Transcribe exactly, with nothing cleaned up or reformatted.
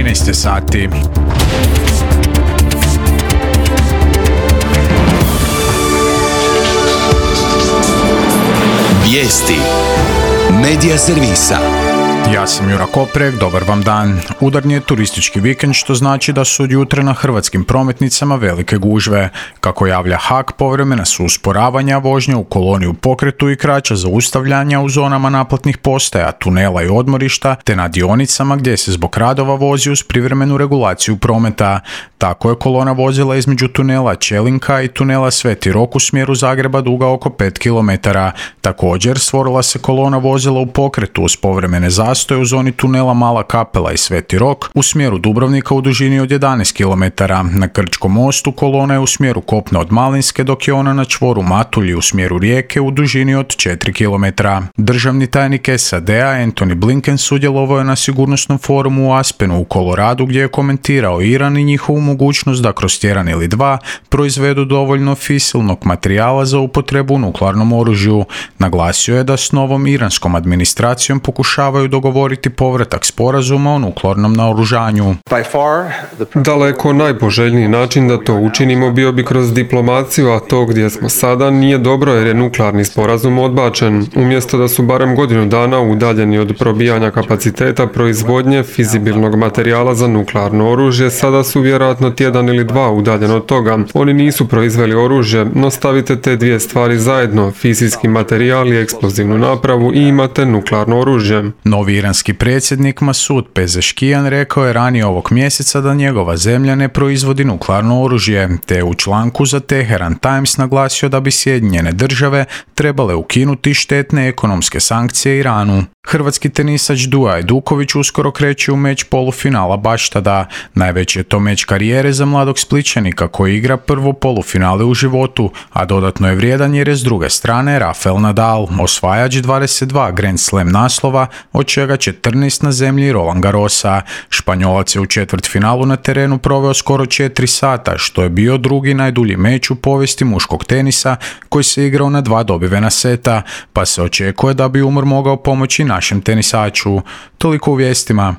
trinaest sati. Vijesti Medija servisa. Ja sam Jura Koprek, dobar vam dan. Udarni je turistički vikend, što znači da su od jutra na hrvatskim prometnicama velike gužve. Kako javlja H A K, povremena su usporavanja vožnje u koloni u pokretu i kraća zaustavljanja u zonama naplatnih postaja, tunela i odmorišta, te na dionicama gdje se zbog radova vozi uz privremenu regulaciju prometa. Tako je kolona vozila između tunela Čelinka i tunela Sveti Rok u smjeru Zagreba duga oko pet kilometara. Također stvorila se kolona vozila u pokretu uz povremene zastoje u zoni tunela Mala Kapela i Sveti Rok u smjeru Dubrovnika u dužini od jedanaest kilometara. Na Krčkom mostu kolona je u smjeru kopna od Malinske, dok je ona na čvoru Matulji u smjeru Rijeke u dužini od četiri kilometra. Državni tajnik S A D-a Antony Blinken sudjelovao je na sigurnosnom forumu u Aspenu u Koloradu, gdje je komentirao Iran i njihovu mogućnost da kroz tjedan ili dva proizvedu dovoljno fisilnog materijala za upotrebu u nuklearnom oružju. Naglasio je da s novom iranskom administracijom pokušavaju dogovoriti povratak sporazuma o nuklearnom naoružanju. Daleko najpoželjniji način da to učinimo bio bi kroz diplomaciju, a to gdje smo sada nije dobro jer je nuklearni sporazum odbačen. Umjesto da su barem godinu dana udaljeni od probijanja kapaciteta proizvodnje fizibilnog materijala za nuklearno oružje, sada su vjerojatno tjedan ili dva udaljeni od toga. Oni nisu proizveli oružje, no stavite te dvije stvari zajedno, fizijski materijal i eksplozivnu napravu, i imate nuklearno oružje. Novi iranski predsjednik Masud Pezeškijan rekao je ranije ovog mjeseca da njegova zemlja ne proizvodi nuklearno oružje, te je u članku za Teheran Times naglasio da bi Sjedinjene države trebale ukinuti štetne ekonomske sankcije Iranu. Hrvatski tenisač Duja Ajduković uskoro kreće u meč polufinala Baštada. Najveći je to meč karijere za mladog Splićanika koji igra prvo polufinale u životu, a dodatno je vrijedan jer je s druge strane Rafael Nadal, osvajač dvadeset dva Grand Slam naslova, od čega četrnaest na zemlji Roland Garrosa. Španjolac je u četvrtfinalu na terenu proveo skoro četiri sata, što je bio drugi najdulji meč u povijesti muškog tenisa koji se igrao na dva dobivena seta, pa se očekuje da bi umor mogao pomoći našem tenisaču. Toliko u vijestima.